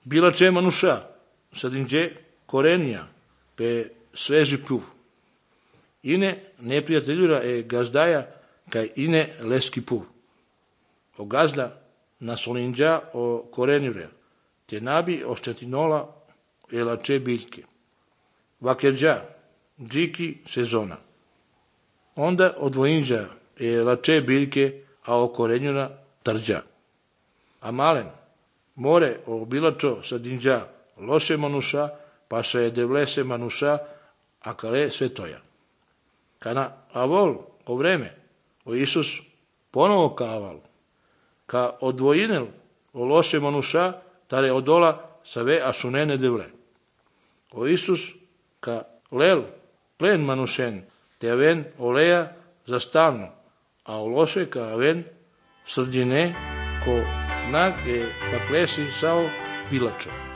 Bilače manuša, sadinđe korenija, pe sveži puv. Ine neprijateljura gazdaja, kaj ine leski puv. O gazda nasolinđa o korenjure, te nabi oštetinola lače biljke. Vakerđa, džiki sezona. Onda odvojinđa lače biljke, a o korenjura trđa. A malen, more o bilačo sadinđa loše manuša, pa se devlese manuša, a kale svetoja. Kana avol o vreme, o Isus ponovo kaval, ka odvojinel o loše manuša, tare odola save asunene devle. O Isus ka lel plen manušen, te aven oleja za stalno, a o loše ka aven srdine ko nag paklesi sao bilačo.